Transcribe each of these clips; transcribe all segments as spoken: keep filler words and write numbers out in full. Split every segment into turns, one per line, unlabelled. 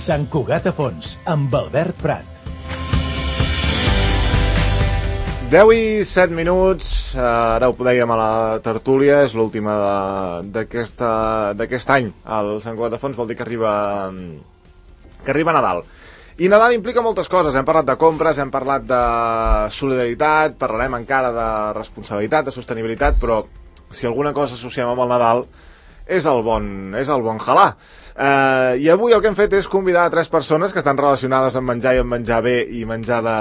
Sant Cugat a Fons, amb Albert Prat.
deu i set minuts, ara ho dèiem a la tertúlia, és l'última d'aquest any. El Sant Cugat a Fons vol dir que arriba, que arriba Nadal. I Nadal implica moltes coses, hem parlat de compres, hem parlat de solidaritat, parlarem encara de responsabilitat, de sostenibilitat, però si alguna cosa associem amb el Nadal és el bon, és el bon halà. Eh, I avui el que hem fet és convidar a tres persones que estan relacionades amb menjar i amb menjar bé i menjar de,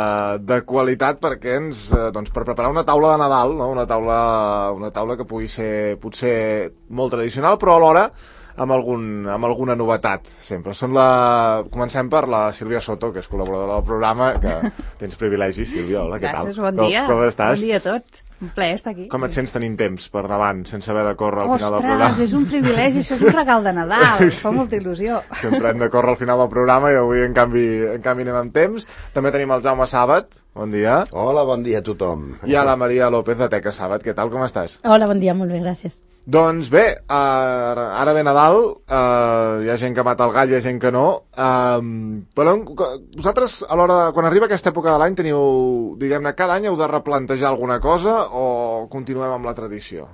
de qualitat perquè ens, eh, doncs, per preparar una taula de Nadal, no? una, taula, una taula que pugui ser potser molt tradicional, però alhora amb, algun, amb alguna novetat, sempre. Són la... Comencem per la Sílvia Soto, que és col·laboradora del programa, que tens privilegi, Sílvia. Hola, què tal?
Gràcies, bon dia.
Com, com estàs?
Bon dia a tots. Un plaer estar aquí.
Com et sents tenint temps per davant, sense haver de córrer al
Ostres,
final del programa?
Ostres, és un privilegi, això és un regal de Nadal, em fa molta il·lusió.
Sempre hem de córrer al final del programa i avui, en canvi, en canvi anem amb temps. També tenim el Jaume Sàbat. Bon dia.
Hola, bon dia a tothom.
I a la Maria López de Teca Sàbat. Què tal, com estàs?
Hola, bon dia, molt bé, gràcies.
Doncs bé, uh, ara ve Nadal, uh, hi ha gent que mata el gall, hi ha gent que no, uh, però vosaltres, a l'hora, quan arriba aquesta època de l'any, teniu, diguem-ne, cada any heu de replantejar alguna cosa o continuem amb la tradició?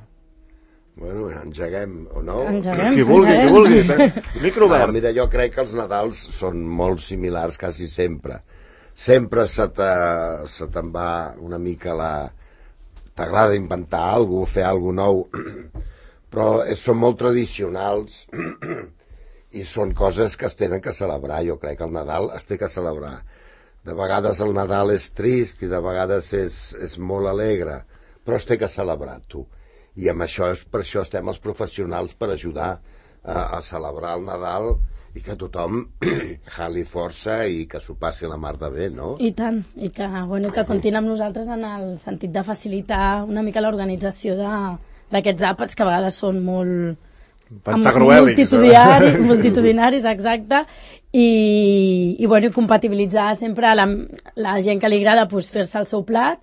Bueno, engeguem, o no?
Engeguem,
qui vulgui,
engeguem.
qui vulgui. Micro obert.
No, mira, jo crec que els Nadals són molt similars quasi sempre. Sempre se te- se te'n va una mica la... T'agrada inventar alguna cosa, fer alguna cosa nou, però són molt tradicionals i són coses que es tenen que celebrar. Jo crec que el Nadal es té que celebrar. De vegades el Nadal és trist i de vegades és, és molt alegre, però es té que celebrar, tu. I amb això, és, per això estem els professionals, per ajudar a, a celebrar el Nadal i que tothom jali força i que s'ho passi la mar de bé, no?
I tant, i que, bueno, que comptin amb nosaltres en el sentit de facilitar una mica l'organització de- d'aquests àpats que a vegades són molt...
Pantagruèlics.
multitudinaris, multitudinaris, exacte, i, i, bueno, i compatibilitzar sempre la, la gent que li agrada pues, fer-se el seu plat,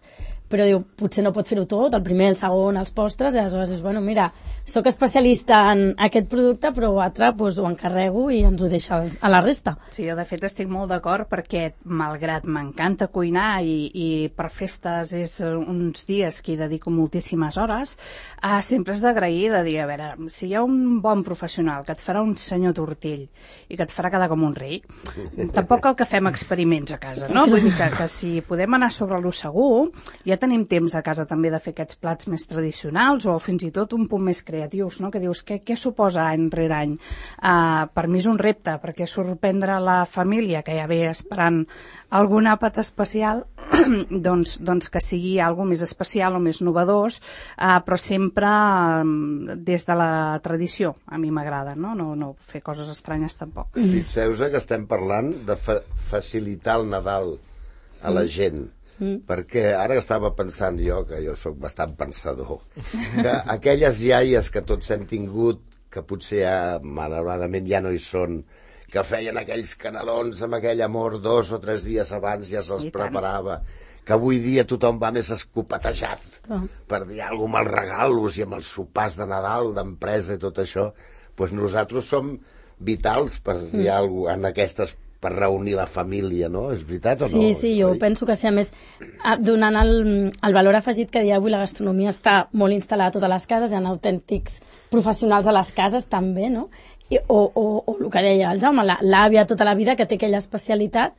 però diu, potser no pot fer-ho tot, el primer, el segon, els postres, i aleshores dius, bueno, mira, sóc especialista en aquest producte, però l'altre pues, ho encarrego i ens ho deixa als- a la resta.
Sí, jo de fet estic molt d'acord perquè, malgrat m'encanta cuinar i, i per festes és uns dies que hi dedico moltíssimes hores, eh, sempre és d'agrair de dir, a veure, si hi ha un bon professional que et farà un senyor tortell i que et farà quedar com un rei, tampoc cal que fem experiments a casa, no? Vull dir que, que si podem anar sobre lo segur, ja tenim temps a casa també de fer aquests plats més tradicionals o fins i tot un punt més creatius, no? Que dius, què, què suposa any rere any? Uh, per mi és un repte, perquè sorprendre la família que ja ve esperant algun àpat especial, doncs, doncs que sigui alguna més especial o més novedós, uh, però sempre um, des de la tradició. A mi m'agrada, no? No, no fer coses estranyes tampoc.
Fixeu-vos que estem parlant de fa facilitar el Nadal a la gent. Mm. Perquè ara estava pensant jo, que jo sóc bastant pensador, que aquelles iaies que tots hem tingut, que potser ja, malauradament ja no hi són, que feien aquells canelons amb aquell amor dos o tres dies abans ja se'ls preparava, que avui dia tothom va més escopetejat oh. per dir alguna cosa amb els regalos i amb els sopars de Nadal, d'empresa i tot això, doncs nosaltres som vitals per dir mm. alguna cosa en aquestes per reunir la família, no? És veritat o no?
Sí, sí, jo penso que sí, a més, donant el, el valor afegit que dia avui la gastronomia està molt instal·lada a totes les cases, hi ha autèntics professionals a les cases també, no? I, o, o, o el que deia el Jaume, l'àvia tota la vida que té aquella especialitat,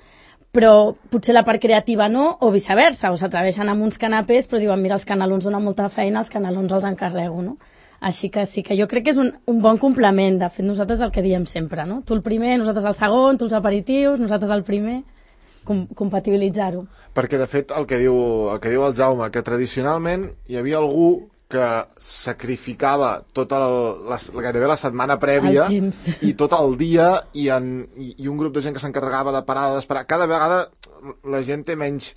però potser la part creativa no, o viceversa, o s'atreveixen amb uns canapés, però diuen, mira, els canelons donen molta feina, els canelons els encarrego, no? Així que sí, que jo crec que és un, un bon complement. De fet, nosaltres el que diem sempre, no? Tu el primer, nosaltres el segon, tu els aperitius, nosaltres el primer, com, compatibilitzar-ho.
Perquè, de fet, el que diu el, que diu el Jaume, que tradicionalment hi havia algú que sacrificava tota el, la, gairebé la setmana prèvia i tot el dia i, en, i, i un grup de gent que s'encarregava de parar, d'esperar. Cada vegada la gent té menys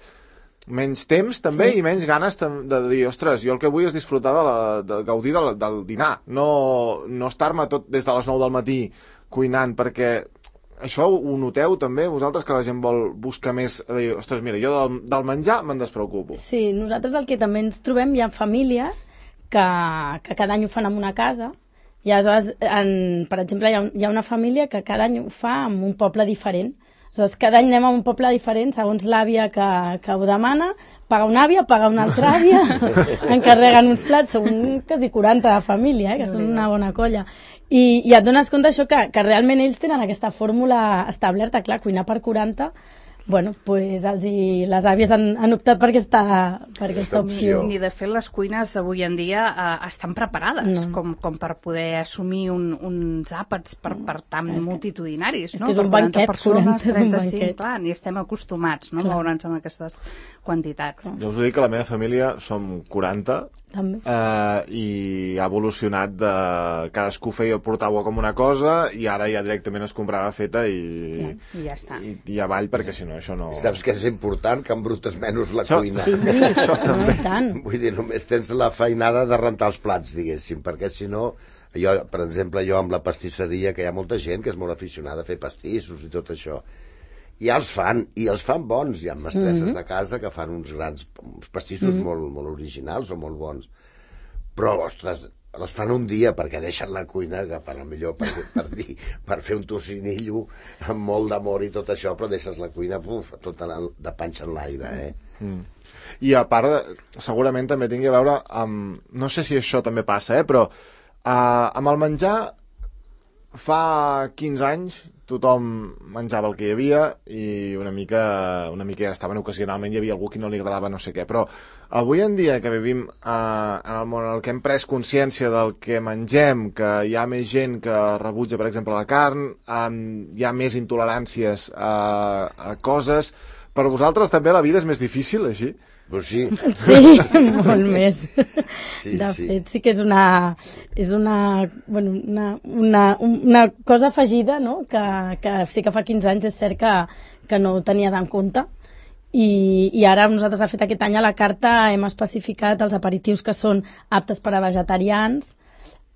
menys temps també sí. i menys ganes de dir, ostres, jo el que vull és disfrutar de, la, de gaudir del, del dinar, no, no estar-me tot des de les nou del matí cuinant, perquè això ho noteu també vosaltres, que la gent vol buscar més, a dir, ostres, mira, jo del, del menjar me'n despreocupo.
Sí, nosaltres el que també ens trobem, hi ha famílies que, que cada any ho fan en una casa I aleshores, en, per exemple, hi ha, un, hi ha una família que cada any ho fa en un poble diferent. Aleshores, cada any anem a un poble diferent, segons l'àvia que, que ho demana, paga una àvia, paga una altra àvia, encarreguen uns plats, són quasi quaranta de família, eh, que són una bona colla. I, i et dones compte això que, que realment ells tenen aquesta fórmula establerta, clar, cuinar per quaranta, bueno, pues els i les àvies han, han optat per aquesta, per aquesta opció.
I de fet les cuines avui en dia eh, estan preparades no. com, com per poder assumir un, uns àpats per, per tan no, multitudinaris.
És
no?
que és un banquet, persones,
quaranta, trenta-cinc,
és un banquet.
Clar, ni estem acostumats no? a moure'ns amb aquestes quantitats.
Jo us ho dic que la meva família som quaranta,
també.
Uh, i ha evolucionat de... cadascú feia, portava com una cosa i ara ja directament es comprava feta i,
ja, i ja està.
I, i avall, perquè si no això no...
Saps que és important? Que embrutes menys la
això...
cuina.
Sí,
això també.
no, tant.
Vull dir, només tens la feinada de rentar els plats, diguéssim, perquè si no... Jo, per exemple, jo amb la pastisseria, que hi ha molta gent que és molt aficionada a fer pastissos i tot això, i ja els fan, i els fan bons. Hi ha mestresses mm-hmm. de casa que fan uns grans uns pastissos mm-hmm. molt, molt originals o molt bons. Però, ostres, les fan un dia perquè deixen la cuina, que per millor per, per, dir, per fer un tocinillo amb molt d'amor i tot això, però deixes la cuina buf, tota la, de panxa en l'aire, eh?
Mm. I a part, segurament també tingui a veure amb... No sé si això també passa, eh? Però uh, amb el menjar fa quinze anys tothom menjava el que hi havia i una mica, una mica ja estaven ocasionalment, hi havia algú que no li agradava no sé què, però avui en dia que vivim eh, en el món en el que hem pres consciència del que mengem, que hi ha més gent que rebutja, per exemple, la carn, eh, hi ha més intoleràncies a, a coses, per vosaltres també la vida és més difícil, així?
Pues sí.
Sí, molt més.
Sí,
de
sí.
fet, sí que és una, és una, bueno, una, una, una cosa afegida, no? que, que sí que fa quinze anys és cert que, que no ho tenies en compte. I, i ara nosaltres, de fet, aquest any a la carta hem especificat els aperitius que són aptes per a vegetarians,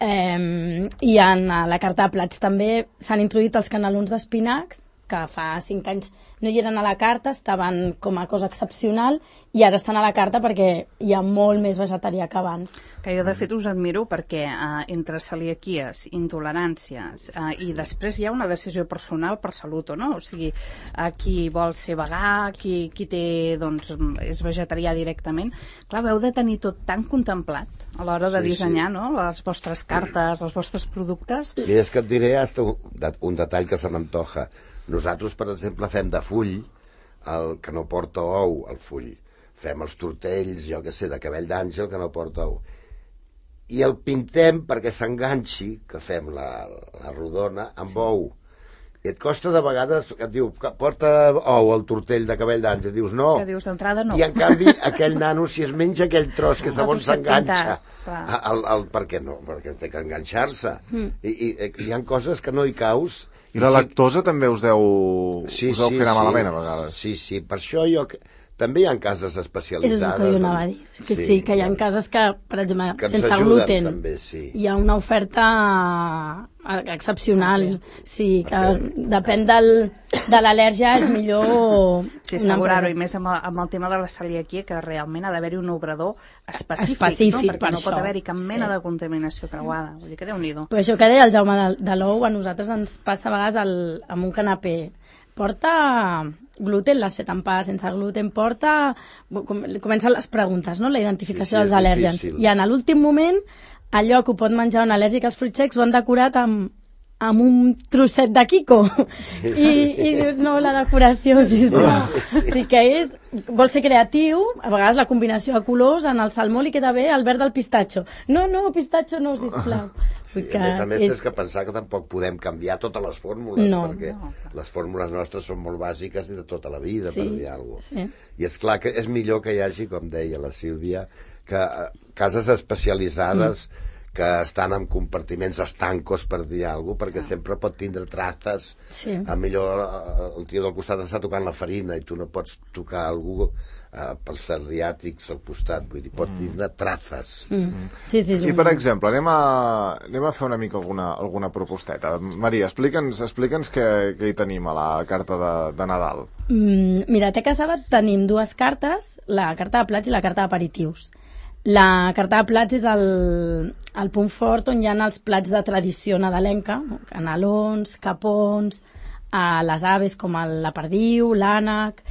eh, i en la carta de plats també s'han introduït els canelons d'espinacs, que fa cinc anys no hi eren a la carta, estaven com a cosa excepcional, i ara estan a la carta perquè hi ha molt més vegetarià que abans.
Que jo, de fet, us admiro perquè eh, entre celiaquies, intoleràncies, eh, i després hi ha una decisió personal per salut o no. O sigui, eh, qui vol ser vegà, qui, qui té, doncs, és vegetarià directament. Clar, heu de tenir tot tan contemplat a l'hora de
sí,
dissenyar
sí.
no? les vostres cartes, els vostres productes.
Mira, és que et diré hasta un, un detall que se m'antoja. Nosaltres, per exemple, fem de full, el que no porta ou, el full. Fem els tortells, jo que sé, de cabell d'àngel, que no porta ou. I el pintem perquè s'enganxi, que fem la, la rodona, amb sí. ou. I et costa de vegades, et diu, porta ou el tortell de cabell d'àngel, dius no.
Que dius d'entrada no.
I en canvi, aquell nano, si es menja aquell tros que segons s'enganxa, el, el, per què no? Perquè té que enganxar-se. Mm. I, i, hi ha coses que no hi caus.
I la lactosa sí. també us deu,
sí,
us deu
sí,
fer anar
sí.
malament, a vegades.
Sí, sí, per això jo... També hi ha cases especialitzades.
És el que jo anava a dir. Que sí, sí, que hi ha cases que, per exemple,
que
sense gluten,
també, sí.
hi ha una oferta excepcional. Sí, que depèn del, de l'al·lèrgia és millor...
Sí, assegurar-ho, i més amb el, amb el tema de la celiaquia, que realment ha d'haver-hi un obrador específic,
específic
no? Perquè
per
no
això.
pot haver-hi cap mena
sí.
de contaminació creuada. Vull dir que Déu-n'hi-do.
Però això que deia el Jaume de, de l'ou, a nosaltres ens passa a vegades el, amb un canapé. Porta gluten, l'has fet amb pa sense gluten, porta... Comencen les preguntes, no? La identificació sí, sí, dels al·lèrgens. Difícil. I en l'últim moment, allò que ho pot menjar un al·lèrgic als fruits secs ho han decorat amb, amb un trosset de Kiko. Sí, I, sí. I dius, no, la decoració, sisplau. Sí, sí, sí. Sí que és... Vol ser creatiu, a vegades la combinació de colors, en el salmó li queda bé el verd del pistatxo. No, no, pistatxo no, sisplau.
Sí, a més a més és... tens que pensar que tampoc podem canviar totes les fórmules,
no,
perquè
no.
les fórmules nostres són molt bàsiques i de tota la vida,
sí,
per dir alguna cosa.
Sí.
I és clar que és millor que hi hagi, com deia la Sílvia, que cases especialitzades mm. que estan en compartiments estancos, per dir alguna cosa, perquè ah. sempre pot tindre traces. Sí. A millor el tio del costat està tocant la farina i tu no pots tocar algú Uh, pels celiàtics al costat, vull dir, pot mm. tindre traces.
Mm. Sí, sí,
I, per exemple, anem a, anem a fer una mica alguna, alguna proposteta. Maria, explica'ns explica'ns què, què hi tenim a la carta de, de Nadal.
Mm, mira, a Teca Sabat tenim dues cartes, la carta de plats i la carta d'aperitius. La carta de plats és el, el punt fort on hi ha els plats de tradició nadalenca, canelons, capons, a les aves com el, la perdiu, l'ànec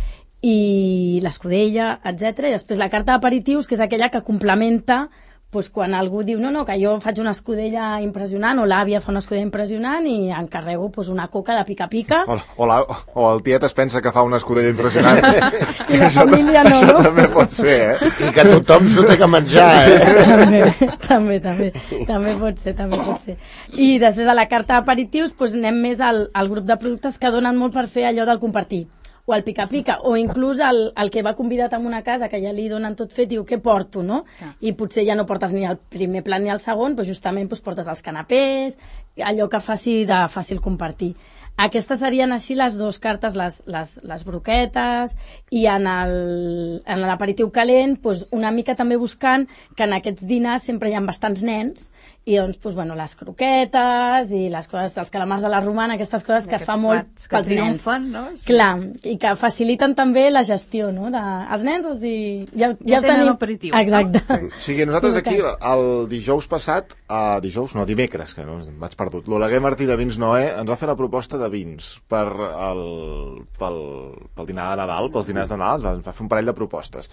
i l'escudella, etcètera. I després la carta d'aperitius, que és aquella que complementa pues, quan algú diu no, no, que jo faig una escudella impressionant o l'àvia fa una escudella impressionant i encarrego pues, una coca de pica-pica.
O, o, la, o el tiet es pensa que fa una escudella impressionant.
I la família no,
això
no?
també pot ser, eh?
I que tothom s'ho té que menjar, eh?
també, també, també, també pot ser, també pot ser. I després de la carta d'aperitius pues, anem més al, al grup de productes que donen molt per fer allò del compartir. O el pica-pica, o inclús el, el que va convidat a una casa, que ja li donen tot fet, diu, què porto, no? Ah. I potser ja no portes ni el primer plat ni el segon, però justament doncs, portes els canapés, allò que faci de fàcil compartir. Aquestes serien així les dues cartes, les, les, les broquetes, i en l'aperitiu calent doncs, una mica també buscant que en aquests dinars sempre hi ha bastants nens, i doncs, doncs bueno, les croquetes i les coses, els calamars de la romana, aquestes coses que fa molt pels nens.
No? Sí.
Clar, i que faciliten també la gestió, no? De, els nens els hi... Ja, ja,
ja tenen l'aperitiu.
Exacte.
No?
O sigui, nosaltres aquí, el dijous passat, uh, dijous, no, dimecres, que no, vaig perdut, l'Oleguer Martí de Vins Noé ens va fer la proposta de vins per el, pel, pel dinar de Nadal, pels dinars de Nadal, ens va fer un parell de propostes.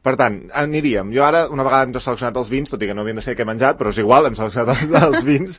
Per tant, aniríem. Jo ara, una vegada hem seleccionat els vins, tot i que no havien de ser què he menjat, però és igual, hem seleccionat els, els vins.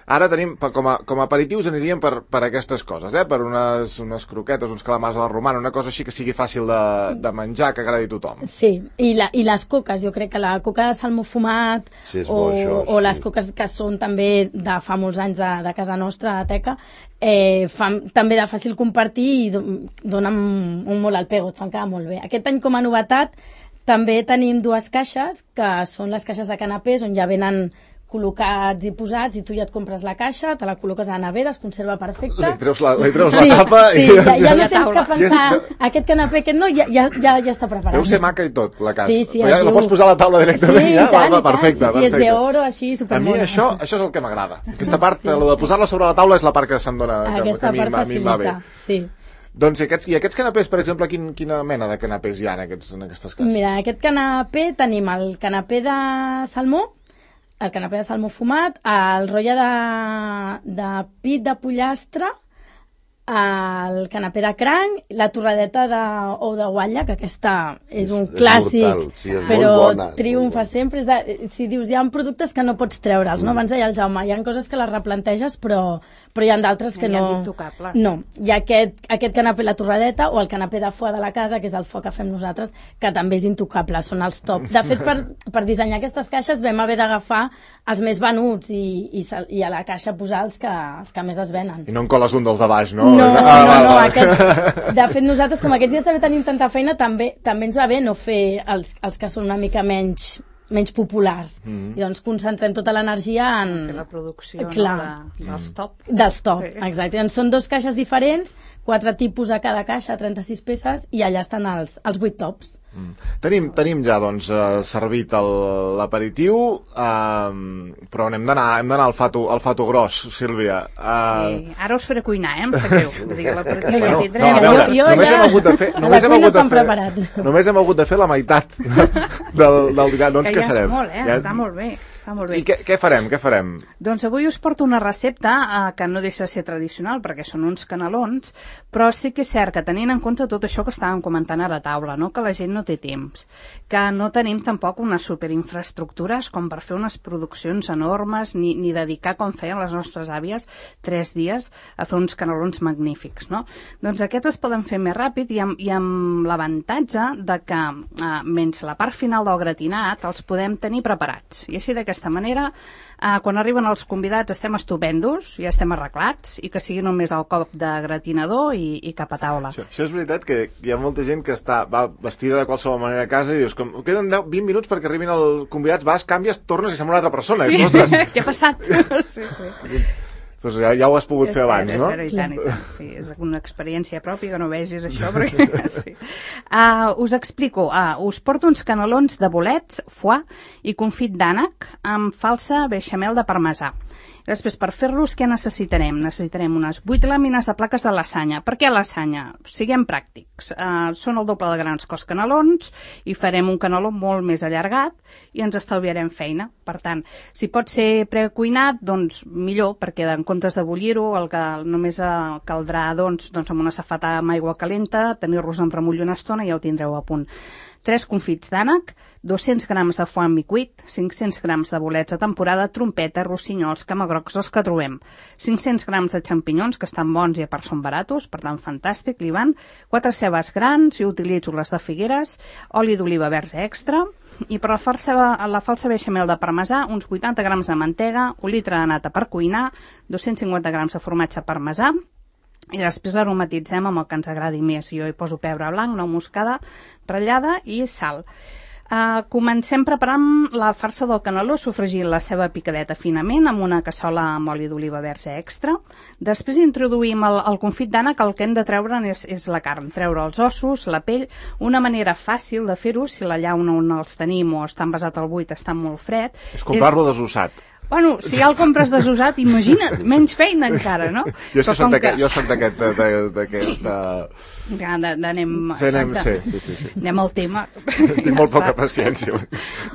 Ara tenim, com a, com a aperitius aniríem per, per aquestes coses, eh? Per unes, unes croquetes, uns calamars a la romana, una cosa així que sigui fàcil de, de menjar, que agradi a tothom.
Sí, i, la, i les coques, jo crec que la coca de salmó fumat,
sí,
o,
això,
o
sí.
les coques que són també de fa molts anys de, de casa nostra, de Teca, eh, fan també de fàcil compartir i donen un molt al pego, et fan quedar molt bé. Aquest any, com a novetat, també tenim dues caixes, que són les caixes de canapés, on ja venen col·locats i posats, i tu ja et compres la caixa, te la col·loques a la nevera, es conserva perfecte.
Li treus la, li treus
sí,
la tapa
sí,
i...
ja, ja no tens que pensar,
ja,
aquest canapé, aquest no, ja, ja, ja, ja està preparat.
Deu ser maca i tot, la casa.
Sí, sí,
ja la pots posar a la taula directament,
sí,
ja?
Tant,
va, va, perfecte,
tant, sí, sí,
perfecte.
és d'oro, així, supermona.
A mi això, això és el que m'agrada. Aquesta part, sí. Lo de posar-la sobre la taula és la part que se'm dona, que,
Aquesta
que a mi,
part
a mi em va bé.
Sí.
Doncs i aquests, i aquests canapés, per exemple, quin, quina mena de canapés hi ha en, aquests, en aquestes cases?
Mira, aquest canapé tenim el canapé de salmó, el canapé de salmó fumat, el rotlle de, de pit de pollastre, el canapé de cranc, la torradeta de ou de guatlla, que aquesta és, és un clàssic,
mortal, sí, és
però
bona,
triomfa sempre. És de, si dius, hi ha productes que no pots treure'ls, no? Abans deia el Jaume, hi ha coses que les replanteges, però, però hi ha d'altres que
hi
no...
ha d'intocables.
No, hi ha aquest, aquest canapé la torradeta o el canapé de foie de la casa, que és el foie que fem nosaltres, que també és intocable, són els top. De fet, per, per dissenyar aquestes caixes vam haver d'agafar els més venuts i, i, i a la caixa posar els que, els que més es venen.
I no en coles un dels de baix, no?
No,
ah,
no,
va,
no,
va.
aquest, de fet nosaltres com aquests dies també tenim tanta feina, també, també ens va bé no fer els, els que són una mica menys, menys populars. Mm-hmm. I doncs concentrem tota l'energia en...
Fer la producció,
clar,
no, de, dels top.
Dels top,
sí.
Exacte. Doncs són dos caixes diferents, quatre tipus a cada caixa, trenta-sis peces, i allà estan els, els vuit tops.
Mm. Tenim, tenim ja doncs, eh, servit el- l'aperitiu, eh, però hem d'anar hem d'anar al fato, al fato gros, Sílvia. Eh,
Sí, ara us faré cuinar, eh? Em sap greu. Vull dir que l'aperitiu
Bueno,
ja
no,
tindrem.
a veure,
Jo- jo
només
ja-
hem hagut de fer...
a
Només
la
hem
cuina
hagut de
estan
fer,
preparats.
només hem hagut de fer la meitat del, del dinar. Doncs
que
què
ja
serem?
és molt, eh?
Ja-
Està molt bé. Està molt bé.
I què, què farem? Què farem?
Doncs avui us porto una recepta eh, que no deixa de ser tradicional perquè són uns canelons, però sí que és cert que tenint en compte tot això que estàvem comentant ara a taula, no? Que la gent no té temps, que no tenim tampoc unes superinfraestructures com per fer unes produccions enormes ni, ni dedicar, com feien les nostres àvies, tres dies a fer uns canelons magnífics, no? Doncs aquests es poden fer més ràpid i amb, i amb l'avantatge de que, eh, menys la part final del gratinat, els podem tenir preparats. I així d'aquesta manera, eh, quan arriben els convidats estem estupendos, ja estem arreglats, i que sigui només el cop de gratinador i, i cap a taula.
Això, això és veritat que hi ha molta gent que està, va vestida de qualsevol manera a casa i dius, com, queden deu, vint minuts perquè arribin els convidats, vas, canvies, tornes i sembla una altra persona.
Sí,
I dius, ostres,
què ha passat? Sí, sí.
doncs ja, ja ho has pogut
És
fer
cert,
abans,
és
no?
cert, i tant, i tant. Sí, és una experiència pròpia que no vegis això, perquè sí. Uh, us explico, uh, us porto uns canelons de bolets, foie i confit d'ànec amb falsa beixamel de parmesà. Després, per fer-los, què necessitarem? Necessitarem unes vuit làmines de plaques de lasanya. Per què lasanya? Siguem pràctics. Uh, són el doble de grans que els canelons i farem un caneló molt més allargat i ens estalviarem feina. Per tant, si pot ser precuinat, doncs millor, perquè en comptes de bullir-ho, el que només uh, caldrà doncs, doncs amb una safata amb aigua calenta, tenir-los en remull una estona i ja ho tindreu a punt. tres confits d'ànec, dos-cents grams de foie mi cuit, cinc-cents grams de bolets de temporada, trompeta, rossinyols, camagrocs, els que trobem, cinc-cents grams de xampinyons, que estan bons i a part són baratos, per tant fantàstic, li van, quatre cebes grans, jo utilitzo les de Figueres, oli d'oliva verge extra, i per la falsa, la falsa beixamel de parmesà, uns vuitanta grams de mantega, un litre de nata per cuinar, dos-cents cinquanta grams de formatge parmesà, i després aromatitzem amb el que ens agradi més. Jo hi poso pebre blanc, nou moscada, ratllada i sal. Uh, comencem preparant la farsa del caneló, sofregint la ceba picadeta finament amb una cassola amb oli d'oliva verge extra. Després introduïm el, el confit d'ànec, el que hem de treure és, és la carn, treure els ossos, la pell. Una manera fàcil de fer-ho, si la llauna on els tenim o està envasat al buit, està molt fred.
És comprar-lo desossat.
Bueno, si ja el compres desusat, imagina't, menys feina encara, no?
Jo, és que soc que... jo soc d'aquest... d'aquesta...
Ja, d'anem...
Sí, anem, sí, sí, sí, sí.
Anem al tema.
Tinc molt poca paciència.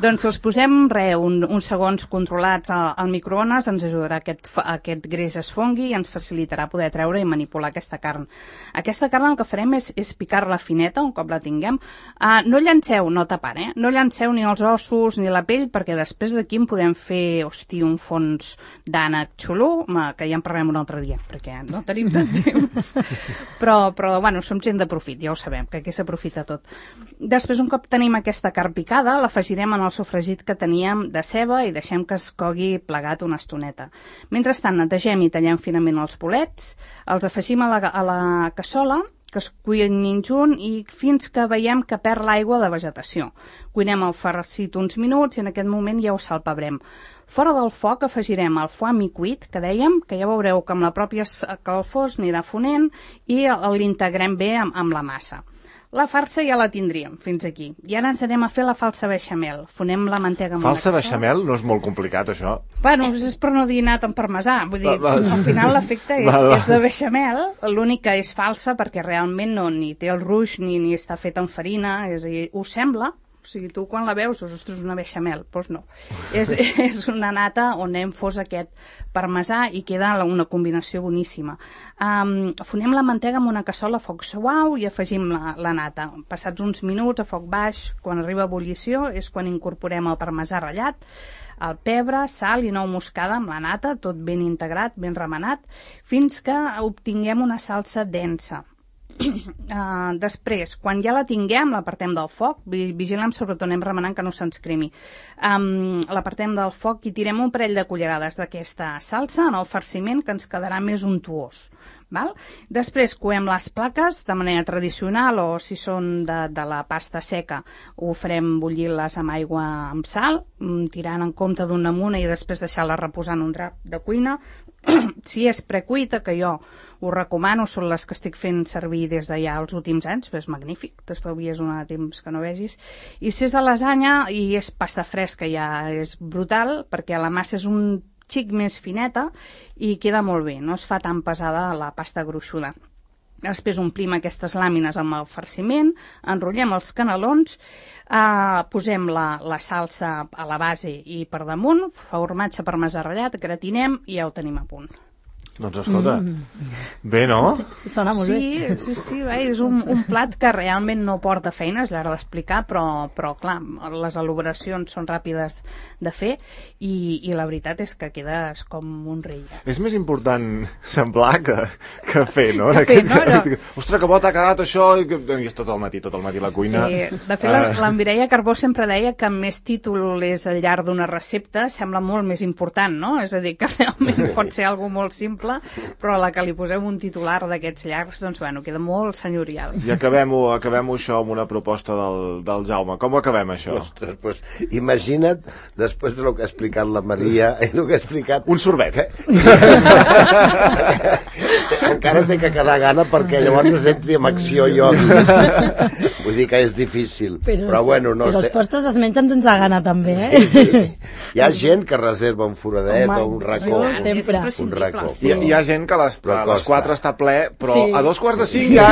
Doncs els posem, re, un, uns segons controlats al, al microones, ens ajudarà aquest, aquest greix es fongui i ens facilitarà poder treure i manipular aquesta carn. Aquesta carn el que farem és, és picar-la fineta, un cop la tinguem. Uh, no llanceu, no tapant, eh? No llanceu ni els ossos ni la pell, perquè després d'aquí en podem fer, hosti, un fons d'ànec xulo, que ja en parlem un altre dia, perquè no tenim tant temps. Però, però bueno, som gent de profit, ja ho sabem, que aquí s'aprofita tot. Després, un cop tenim aquesta carn picada, l'afegirem en el sofregit que teníem de ceba i deixem que es cogui plegat una estoneta. Mentrestant, netegem i tallem finament els bolets, els afegim a la, a la cassola, que es cuinin junt i fins que veiem que perd l'aigua de vegetació. Cuinem el farcit uns minuts i en aquest moment ja ho salpebrem. Fora del foc afegirem el foie mi cuit, que dèiem, que ja veureu que amb la pròpia calfos anirà fonent i l'integrem bé amb, amb la massa. La farsa ja la tindríem fins aquí. I ara ens anem a fer la falsa beixamel. Fonem la mantega amb
falsa
una
cassola. Beixamel no és molt complicat, això?
Bueno, és per no dir anat amb parmesà. Vull dir, va, va. Al final l'efecte és, va, va. és de beixamel. L'única és falsa perquè realment no ni té el ruix ni, ni està fet amb farina. És a dir, us sembla? O sigui, tu quan la veus, ostres, una beixamel. Doncs no. és, és una nata on hem fos aquest parmesà i queda una combinació boníssima. Um, fonem la mantega amb una cassola a foc suau i afegim la, la nata. Passats uns minuts a foc baix, quan arriba a ebullició, és quan incorporem el parmesà ratllat, el pebre, sal i nou moscada amb la nata, tot ben integrat, ben remenat, fins que obtinguem una salsa densa. Uh, després, quan ja la tinguem, l'apartem del foc, vigilem sobretot, anem remenant que no se'ns cremi. Um, l'apartem del foc i tirem un parell de cullerades d'aquesta salsa en el farciment, que ens quedarà més untuós. Val? Després coem les plaques de manera tradicional o si són de, de la pasta seca ho farem bullir-les amb aigua amb sal, tirant en compte d'un amunt i després deixar-la reposar en un drap de cuina. Si és precuita, que jo us recomano, són les que estic fent servir des de ja els últims anys, és magnífic, t'estalvies un temps que no vegis. I si és de lasanya i és pasta fresca, ja és brutal, perquè la massa és un xic més fineta i queda molt bé, no es fa tan pesada la pasta gruixuda. Després omplim aquestes làmines amb el farciment, enrotllem els canelons, eh, posem la, la salsa a la base i per damunt, formatge parmesà ratllat, gratinem i ja ho tenim a punt.
Doncs escolta, mm. bé, no?
Sí, sona molt
sí,
bé.
Sí, sí, bé, és un, un plat que realment no porta feina, és l'hora d'explicar, però, però clar, les elaboracions són ràpides de fer i, i la veritat és que quedes com un rei.
És més important semblar que, que fer, no?
Que fer, no? Allò...
Ostres, que bo t'ha quedat això, i, que... I és tot el matí, tot el matí a la cuina.
Sí, de fet, uh... la Mireia Carbó sempre deia que més títol és al llarg d'una recepta, sembla molt més important, no? És a dir, que realment pot ser algo molt simple imprescindible, però a la que li posem un titular d'aquests llargs, doncs bueno, queda molt senyorial.
I acabem-ho acabem això amb una proposta del, del Jaume. Com ho acabem, això?
Ostres, pues, imagina't, després del que ha explicat la Maria, i el que ha explicat...
Un sorbet.
Que... encara té que quedar gana perquè llavors entri en acció jo. Vull dir que és difícil. Però, però bueno, no...
Però els postres es mengen sense gana, també, eh?
Sí, sí. Hi ha gent que reserva un foradet Home, o un racó.
Sempre.
Un racó.
Sí.
Hi, hi ha gent que les, a les quatre està ple, però
sí.
a dos quarts de cinc ja...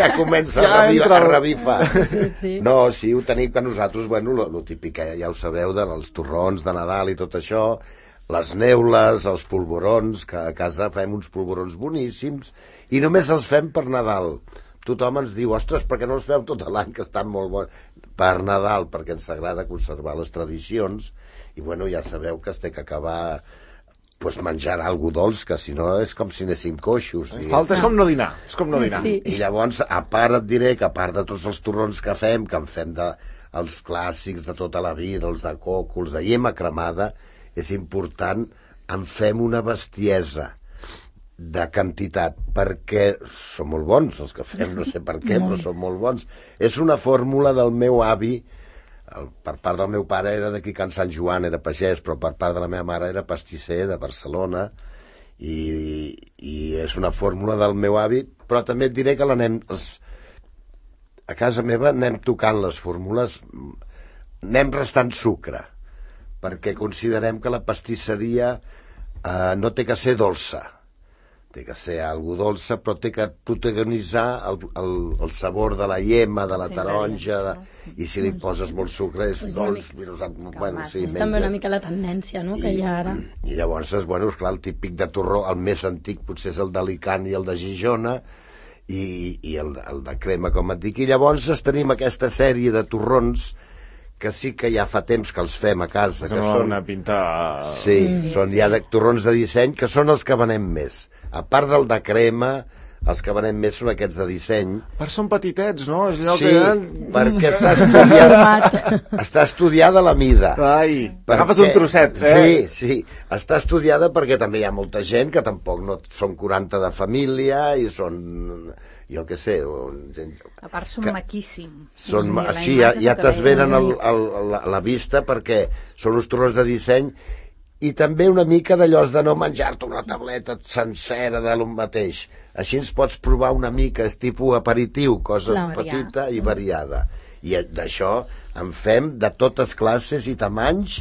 ja comença ja a, revivar, entra... a revifar.
Sí, sí.
No, sí, ho tenim que nosaltres, bueno, lo, lo típic, ja ho sabeu, dels torrons de Nadal i tot això, les neules, els polvorons, que a casa fem uns polvorons boníssims, i només els fem per Nadal. Tothom ens diu, ostres, per què no els feu tot l'any, que estan molt bons? Per Nadal, perquè ens agrada conservar les tradicions, i bueno, ja sabeu que es té que acabar pues, menjant algú dolç, que si no és com si anéssim coixos.
Falta, és com no dinar, és com no dinar.
Sí.
I llavors, a part et diré que a part de tots els torrons que fem, que en fem de, els clàssics de tota la vida, els de coco, els de llema cremada, és important, en fem una bestiesa de quantitat, perquè són molt bons els que fem, no sé per què, però són molt bons. És una fórmula del meu avi, el, per part del meu pare era d'aquí Can Sant Joan, era pagès, però per part de la meva mare era pastisser de Barcelona, i, i és una fórmula del meu avi, però també et diré que l'anem... Els, a casa meva anem tocant les fórmules, anem restant sucre, perquè considerem que la pastisseria eh, no té que ser dolça, té que ser algo dolça, però té que protagonitzar el, el, el sabor de la llema, de la
Sí,
taronja, de,
no?
i si li poses molt sucre és
És
dolç.
una
Mira, bueno, sí,
és també una mica la tendència, no?, que hi ha ara.
I llavors, bueno, esclar, el típic de torró, el més antic potser és el d'Alicant i el de Gijona, i, i el, el de crema, com et dic. I llavors tenim aquesta sèrie de torrons que sí que ja fa temps que els fem a casa.
Que
que
són
són
una pinta...
Sí, mm, són ja de torrons de disseny, que són els que venem més. A part del de crema, els que venem més són aquests de disseny.
Per són petitets, no? És allò
Sí,
que...
perquè està estudiada, està estudiada la mida.
Ai,
Perquè-
agafes un trosset, eh?
Sí, sí, està estudiada perquè també hi ha molta gent que tampoc no són quaranta de família i són, jo què sé, o, gent,
A part són
que-
maquíssims.
són,
O sigui, la
així, ja,
imatge
ja
se te
t'esvenen
veia.
el, el, la, la vista perquè són uns torrons de disseny i també una mica d'allò de no menjar-te una tauleta sencera de lo mateix. Així ens pots provar una mica, és tipus aperitiu, cosa
Clar,
petita i variada. I d'això en fem de totes classes i tamanys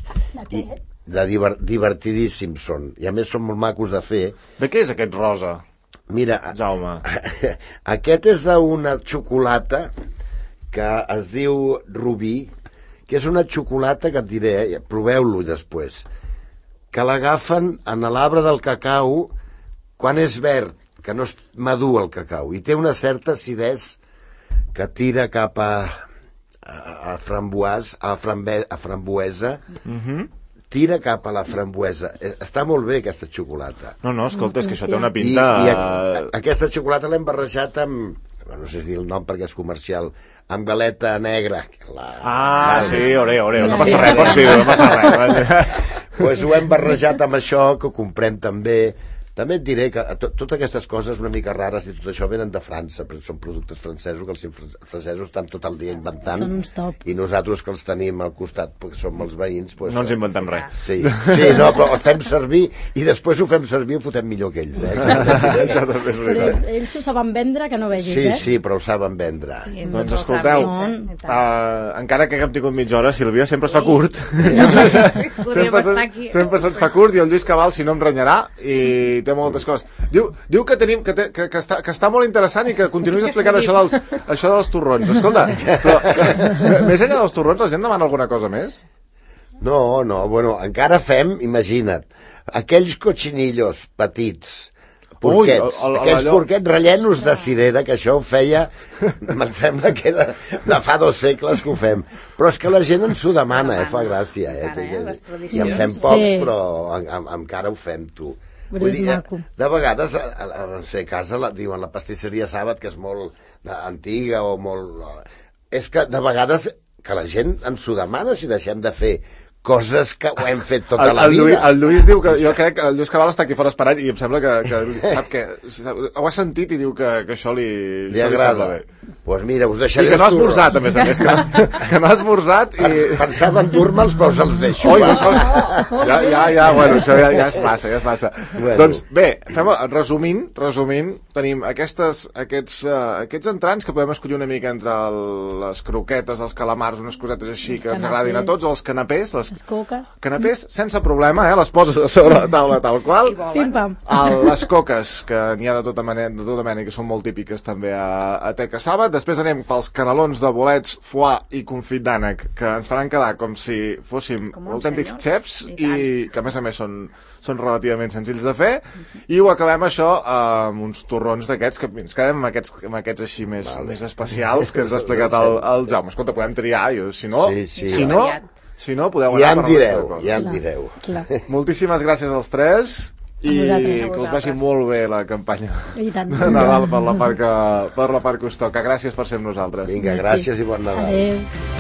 i de diver, divertidíssims són. I a més són molt macos de fer.
De què és aquest rosa,
Mira,
Jaume?
aquest és d'una xocolata que es diu Rubí, que és una xocolata que et diré, eh, proveu-lo després, que l'agafen en l'arbre del cacau quan és verd, que no és madur el cacau, i té una certa acidesa que tira cap a, a, a framboès, a, frambe, a framboesa,
Mhm.
tira cap a la framboesa. Eh, Està molt bé aquesta xocolata.
No, no, escolta, és que això té una
I,
pinta...
i a, aquesta xocolata l'hem barrejat amb, no sé si dir el nom perquè és comercial, amb galeta negra. La,
Ah,
la-
sí, oreo, oreo, no
Sí.
passa res, pots dir-ho, no passa res.
Pues ho hem barrejat amb això, que ho comprem també. També et diré que to totes aquestes coses una mica rares i tot això venen de França, perquè són productes francesos, que els fran- francesos estan tot el dia inventant.
Són uns top.
I nosaltres que els tenim al costat, perquè som els veïns... Pues,
No ens inventem res.
Sí, sí, no, però els fem servir i després ho fem servir i ho fotem millor que ells, eh?
Això també és
Però
veritat.
ells, ells ho saben vendre, que no vegis,
Sí,
eh?
sí, però ho saben vendre.
Sí,
Doncs
tots els
escolteu,
hàbits, eh? I tant.
uh, encara que haguem tingut mitja hora, Sílvia, sempre es fa
Sí.
curt.
Sí, podríem
sempre,
estar
se-
aquí.
sempre se'ns fa curt i el Lluís Cabal, si no, em renyarà i té moltes coses. Diu, diu que, tenim, que, té, que, que, està, que està molt interessant i que continuïs explicant això dels, això dels torrons. Escolta, però més enllà dels torrons, la gent demana alguna cosa més?
No, no, bueno, encara fem, imagina't, aquells cochinillos petits, porquets,
Ui, el- el-
aquells
allò-
porquets rellenos de cirera, que això ho feia, em sembla que era de fa dos segles que ho fem. Però és que la gent ens ho demana, eh, fa gràcia. Eh,
Encara, eh, les
I en fem
tradicions.
pocs,
Sí.
però en, en, encara ho fem, tu.
Però
Vull
és
dir,
maco.
de vegades, a, a, a, no sé, a casa la, diuen la pastisseria Sàbat, que és molt de, antiga o molt... És que de vegades que la gent ens ho demana si deixem de fer coses que ho hem fet tota
el,
la
el
vida.
Lluís, el Lluís diu que, jo crec que el Lluís Cabal està aquí fora esperant i em sembla que, que sap que ho ha sentit i diu que, que això li,
Li agrada. Doncs pues mira, us deixaré...
I que no ha esmorzat, a més a més, que, que no ha esmorzat i...
Pensava endur-me'ls, però us els deixo.
Oi, no, ja, ja, ja, bueno, això ja, ja es passa, ja es passa. Bueno. Doncs bé, fem, resumint, resumint, tenim aquestes, aquests, uh, aquests entrants que podem escollir una mica entre el, les croquetes, els calamars, unes cosetes així
els
que ens
canapés.
agradin a tots, els canapés, les,
Les coques.
canapés sense problema, eh? Les poses a sobre la taula tal qual.
Pim-pam.
El, les coques, que n'hi ha de tota mena, de tota mena, que són molt típiques també a, a Teca Sàbat. Després anem pels canelons de bolets, foie i confit d'ànec, que ens faran quedar com si fóssim autèntics xefs i, i que a més a més són, són relativament senzills de fer. I ho acabem això amb uns torrons d'aquests, que ens quedem amb aquests, amb aquests així més, vale. més especials que ens ha explicat el, el Jaume. Escolta, podem triar, jo, si no,
sí, sí,
si no, si no podeu anar
ja em
per
direu,
ja
em direu.
Clar.
Moltíssimes gràcies als tres i
vosaltres.
que us vagi molt bé la campanya
I tant.
de Nadal per la part que, per la part que us toca. Gràcies per ser amb nosaltres.
Vinga, gràcies i bon Nadal.
Adéu.